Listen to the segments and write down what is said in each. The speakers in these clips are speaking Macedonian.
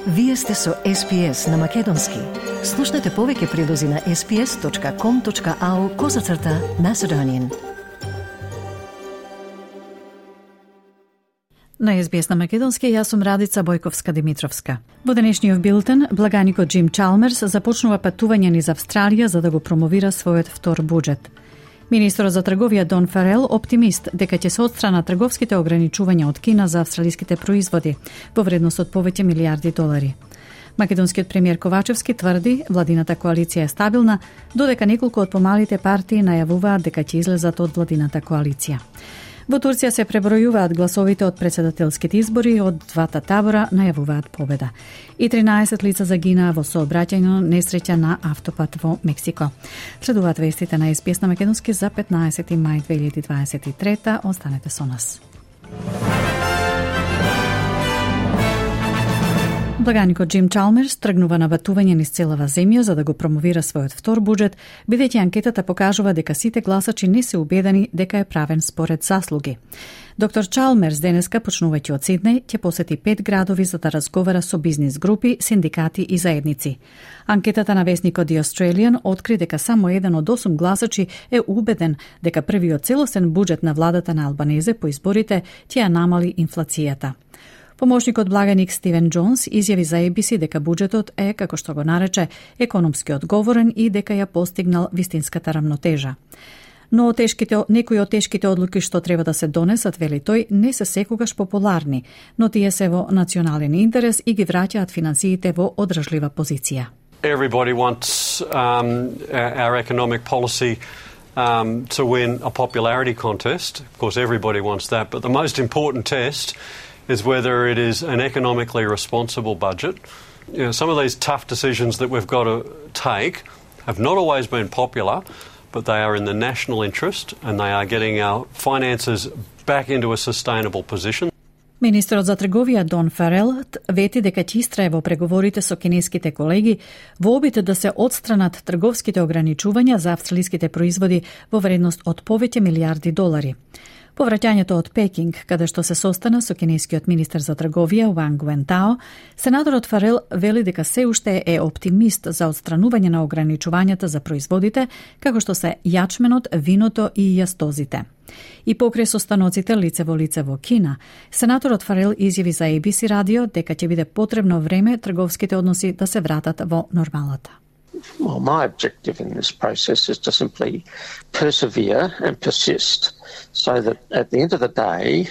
Вие сте со SPS на Македонски. Слушнете повеќе прилози на sps.com.au/Macedonian. На SBS на Македонски, јас сум Радица Бојковска-Димитровска. Во денешниот билтен, благаникот Джим Чалмерс започнува патување низ Австралија за да го промовира својот втор буџет. Министерот за трговија Дон Фарел оптимист дека ќе се отстрана трговските ограничувања од Кина за австралиските производи во вредност од повеќе милиарди долари. Македонскиот премиер Ковачевски тврди владината коалиција е стабилна, додека неколку од помалите партии најавуваат дека ќе излезат од владината коалиција. Во Турција се пребројуваат гласовите од председателските избори, од двата табора најавуваат победа. И 13 лица загинаа во сообраќајна несреќа на автопат во Мексико. Следуваат вестите на SBS на Македонски за 15 мај 2023. Останете со нас. Благаникот Джим Чалмерс тргнува на патување низ целава земја за да го промовира својот втор буџет, бидејќи анкетата покажува дека сите гласачи не се убедени дека е правен според заслуги. Доктор Чалмерс денеска, почнувајќи од Сиднеј, ќе посети 5 градови за да разговара со бизнис групи, синдикати и заедници. Анкетата на весникот The Australian откри дека само 1 од 8 гласачи е убеден дека првиот целосен буџет на владата на Албанезе по изборите ќе ја намали инфлацијата. Помошникот благаник Стивен Джонс изјави за ABC дека буџетот е, како што го нарече, економски одговорен и дека ја постигнал вистинската рамнотежа. Но некои од тешките одлуки што треба да се донесат, вели тој, не се секогаш популарни, но тие се во национален интерес и ги враќаат финансиите во одржлива позиција. Everybody wants our economic policy to win a popularity contest. Of course, everybody wants that, but the most important test is whether it is an economically responsible budget. You know, some of these tough decisions that we've got to take have not always been popular, but they are in the national interest and they are getting our finances back into a sustainable position. Министерот за трговија Дон Фарел вети дека ќе истрае во преговорите со кинеските колеги во обид да се отстранат трговските ограничувања за австралиските производи во вредност од повеќе милиарди долари. По враќањето од Пекинг, каде што се состана со кинескиот министер за трговија Ванг Вентао, сенаторот Фарел вели дека се уште е оптимист за отстранување на ограничувањата за производите, како што се јачменот, виното и јастозите. И покрај состаноците лице во Кина, сенаторот Фарел изјави за ABC радио дека ќе биде потребно време трговските односи да се вратат во нормалата. Well, my objective in this process is to simply persevere and persist so that at the end of the day,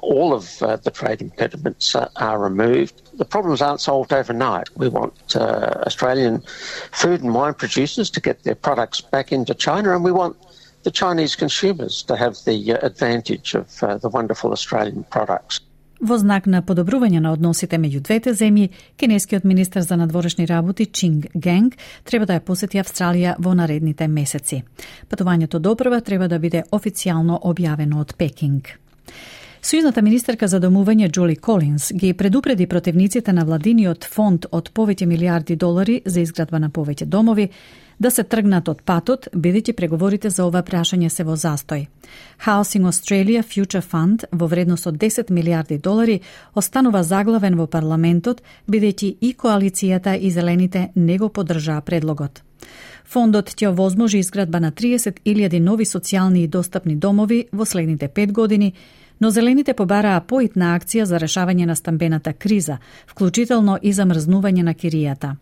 all of the trade impediments are removed. The problems aren't solved overnight. We want Australian food and wine producers to get their products back into China, and we want the Chinese consumers to have the advantage of the wonderful Australian products. Во знак на подобрување на односите меѓу двете земји, кинескиот министер за надворешни работи Чинг Генг треба да ја посети Австралија во наредните месеци. Патувањето допрва треба да биде официјално објавено од Пекинг. Сојузната министерка за домување Джули Колинс ги предупреди противниците на владиниот фонд од повеќе милиарди долари за изградба на повеќе домови да се тргнат од патот, бидејќи преговорите за ова прашање се во застој. Housing Australia Future Fund во вредност од 10 милиарди долари останува заглавен во парламентот, бидејќи и коалицијата и зелените не го поддржаа предлогот. Фондот ќе овозможи изградба на 30.000 нови социјални и достапни домови во следните 5 години, но зелените побараа поитна акција за решавање на стамбената криза, вклучително и замрзнување на киријата.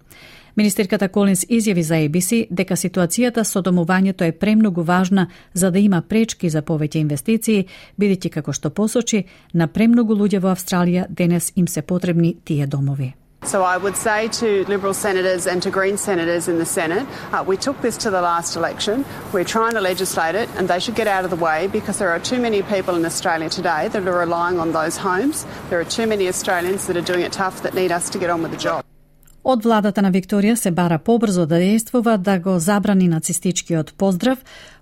Министерката Колинс изјави за ABC дека ситуацијата со домувањето е премногу важна за да има пречки за повеќе инвестиции, бидејќи како што посочи, на премногу луѓе во Австралија денес им се потребни тие домови. So I would say to Liberal senators and to Green senators in the Senate, we took this to the last election, we're trying to legislate it and they should get out of the way because there are too many people in Australia today that are relying on those homes. There are too many Australians that are doing it tough that need us to get on with the job. Од владата на Викторија се бара побрзо да действува да го забрани нацистичкиот поздрав,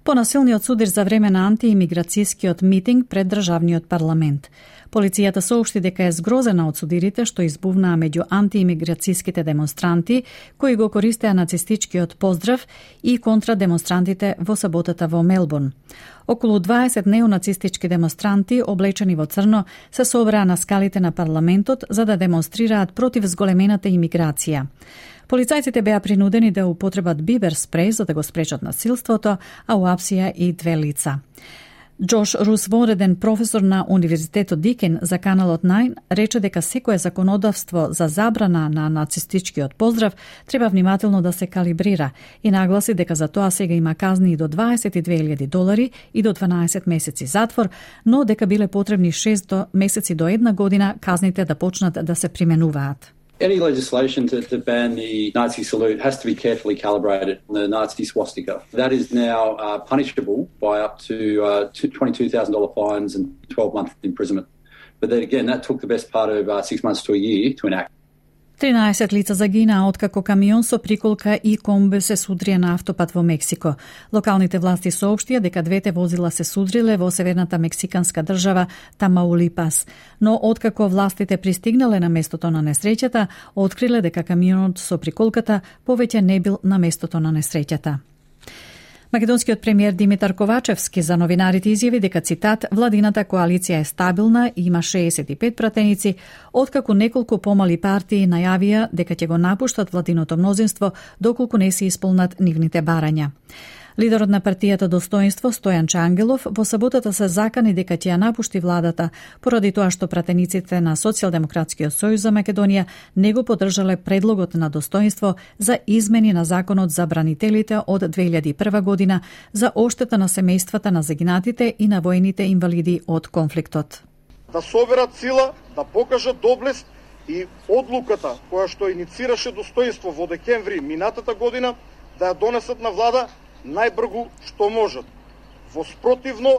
Понасилниот судар за време на антиимиграцијскиот митинг пред државниот парламент. Полицијата соопшти дека е згрозена од судирите што избувнаа меѓу антиимиграцијските демонстранти кои го користеа нацистичкиот поздрав и контра демонстрантите во саботата во Мелбурн. Околу 20 неонацистички демонстранти облечени во црно се собраа на скалите на парламентот за да демонстрираат против зголемената имиграција. Полицајците беа принудени да употребат бибер спреј за да го спречат насилството, а уапсија и 2 лица. Джош Рус, вонреден професор на Универзитетот Дикен за каналот 9, рече дека секое законодавство за забрана на нацистичкиот поздрав треба внимателно да се калибрира и нагласи дека за тоа сега има казни и до $22,000 и до 12 месеци затвор, но дека биле потребни 6 месеци до 1 година казните да почнат да се применуваат. Any legislation to ban the Nazi salute has to be carefully calibrated on the Nazi swastika. That is now punishable by up to $22,000 fines and 12-month imprisonment. But then again, that took the best part of 6 months to a year to enact. 13 лица загинаа откако камион со приколка и комбе се судрија на автопат во Мексико. Локалните власти соопштија дека двете возила се судриле во северната мексиканска држава Тамаулипас. Но откако властите пристигнале на местото на несреќата, откриле дека камионот со приколката повеќе не бил на местото на несреќата. Македонскиот премиер Димитар Ковачевски за новинарите изјави дека, цитат, владината коалиција е стабилна и има 65 пратеници, откако неколку помали партии најавија дека ќе го напуштат владиното мнозинство доколку не се исполнат нивните барања. Лидерот на партијата Достоинство Стојан Чангелов во саботата се закани дека ќе ја напушти владата поради тоа што пратениците на Социјалдемократскиот сојуз за Македонија не го поддржале предлогот на Достоинство за измени на законот за бранителите од 2001 година за оштета на семејствата на загинатите и на војните инвалиди од конфликтот. Да соберат сила, да покажат доблест и одлуката која што иницираше Достоинство во декември минатата година да ја донесат на влада најбргу што можат. Во спротивно,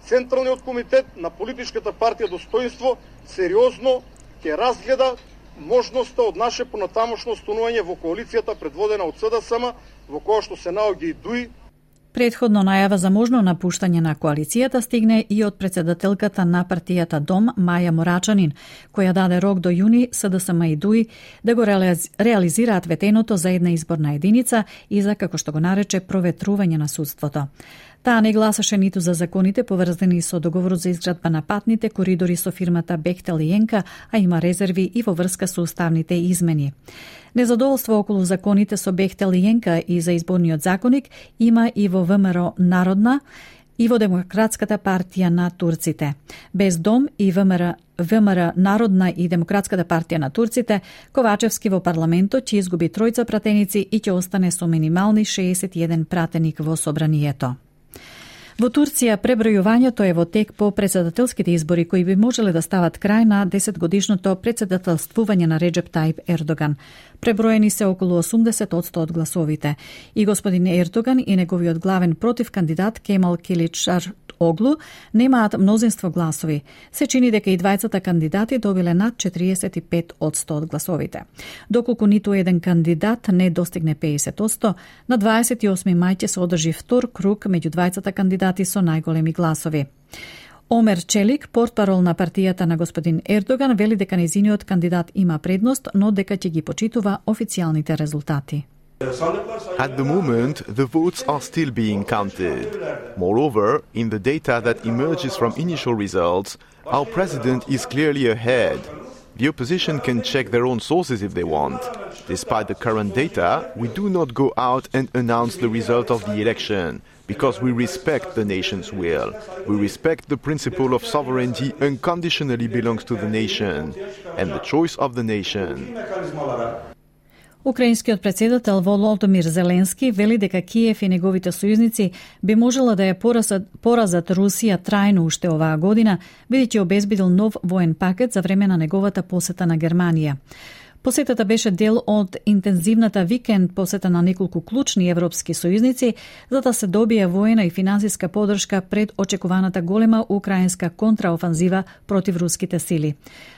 Централниот комитет на политичката партија Достоинство сериозно ќе разгледа можноста од наше понатамошно останување во коалицијата предводена од СДСМ, во која што се наоѓа и ДУИ. Предходно најава за можно напуштање на коалицијата стигне и од председателката на партијата Дом Маја Морачанин, која даде рок до јуни СДСМ и ДУИ да го реализираат ветеното за една изборна единица и за, како што го нарече, проветрување на судството. Таа не гласаше ниту за законите поврзани со договорот за изградба на патните коридори со фирмата Бехтел и Енка, а има резерви и во врска со уставните измени. Незадоволство околу законите со Бехтел и Енка и за изборниот законник има и во ВМРО Народна и во Демократската партија на турците. Без Дом и ВМРО Народна и Демократската партија на турците, Ковачевски во парламентот ќе изгуби 3 пратеници и ќе остане со минимални 61 пратеник во собранието. Во Турција пребројувањето е во тек по председателските избори кои би можеле да стават крај на 10-годишното председателствување на Реджеп Тајип Ердоган. Преброени се околу 80% од гласовите и господин Ердоган и неговиот главен против кандидат Кемал Киличар Оглу немаат мнозинство гласови. Се чини дека и двајцата кандидати добиле над 45% од гласовите. Доколку ниту еден кандидат не достигне 50%, на 28 мај ќе се одржи втор круг меѓу двајцата кандидати со најголеми гласови. Омер Челик, портпарол на партијата на господин Ердоган, вели дека нејзиниот кандидат има предност, но дека ќе ги почитува официјалните резултати. At the moment, the votes are still being counted. Moreover, in the data that emerges from initial results, our president is clearly ahead. The opposition can check their own sources if they want. Despite the current data, we do not go out and announce the result of the election, because we respect the nation's will. We respect the principle of sovereignty unconditionally belongs to the nation, and the choice of the nation. Украинскиот председател Володимир Зеленски вели дека Киев и неговите сојузници би можела да ја поразат Русија трајно уште оваа година, бидејќи обезбедил нов воен пакет за време на неговата посета на Германија. Посетата беше дел од интензивната викенд посета на неколку клучни европски сојузници за да се добие воена и финансиска подршка пред очекуваната голема украинска контраофанзива против руските сили.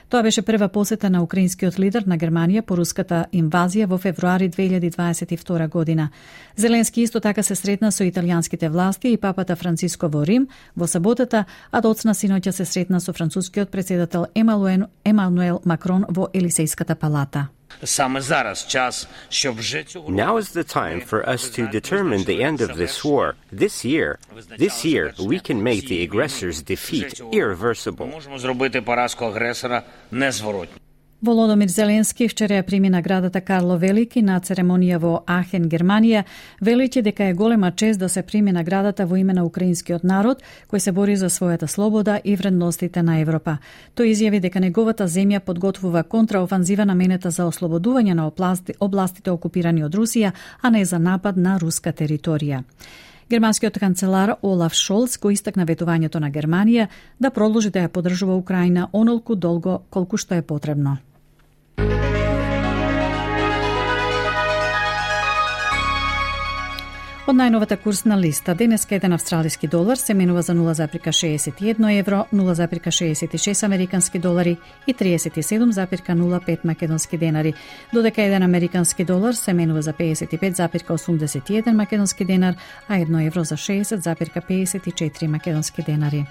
Тоа беше прва посета на украинскиот лидер на Германија по руската инвазија во февруари 2022 година. Зеленски исто така се сретна со италијанските власти и папата Франциско во Рим во саботата, а доцна синоќа се сретна со францускиот председател Емануел Макрон во Елисејската палата. Now is the time for us to determine the end of this war. This year, we can make the aggressor's defeat irreversible. Володомир Зеленски вчера ја прими наградата Карло Велики на церемонија во Ахен, Германија, велејќи дека е голема чест да се прими наградата во име на украинскиот народ, кој се бори за својата слобода и вредностите на Европа. Тој изјави дека неговата земја подготвува контраофанзива наменета за ослободување на областите окупирани од Русија, а не за напад на руска територија. Германскиот канцелар Олаф Шолц го истакна ветувањето на Германија да продолжи да ја поддржува Украина онолку долго колку што е потребно. Од најновата курсна листа, денеска еден австралиски долар се менува за 0,61 евро, 0,66 американски долари и 37,05 македонски денари, додека еден американски долар се менува за 55,81 македонски денар, а 1 евро за 60,54 македонски денари.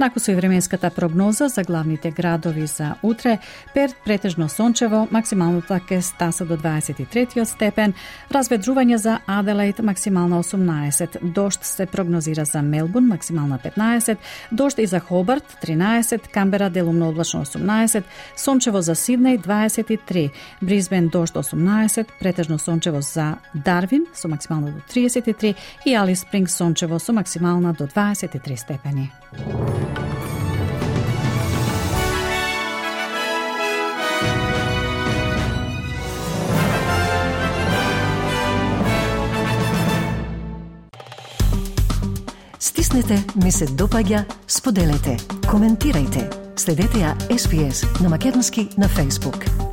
Наку со и временската прогноза за главните градови за утре: Перт претежно сончево, максималната ке стаса до 23 степен, разведрување за Аделаид, максимална 18, дожд се прогнозира за Мелбурн, максимална 15, дожд и за Хобарт 13, Камбера делумно облачно 18, сончево за Сиднеј 23, Брисбен дожд 18, претежно сончево за Дарвин со максимална до 33 и Алис Спрингс сончево со максимална до 23 степени. Стиснете, ми се допаѓа, споделете, коментирајте. Следете ја SPS на Македонски на Facebook.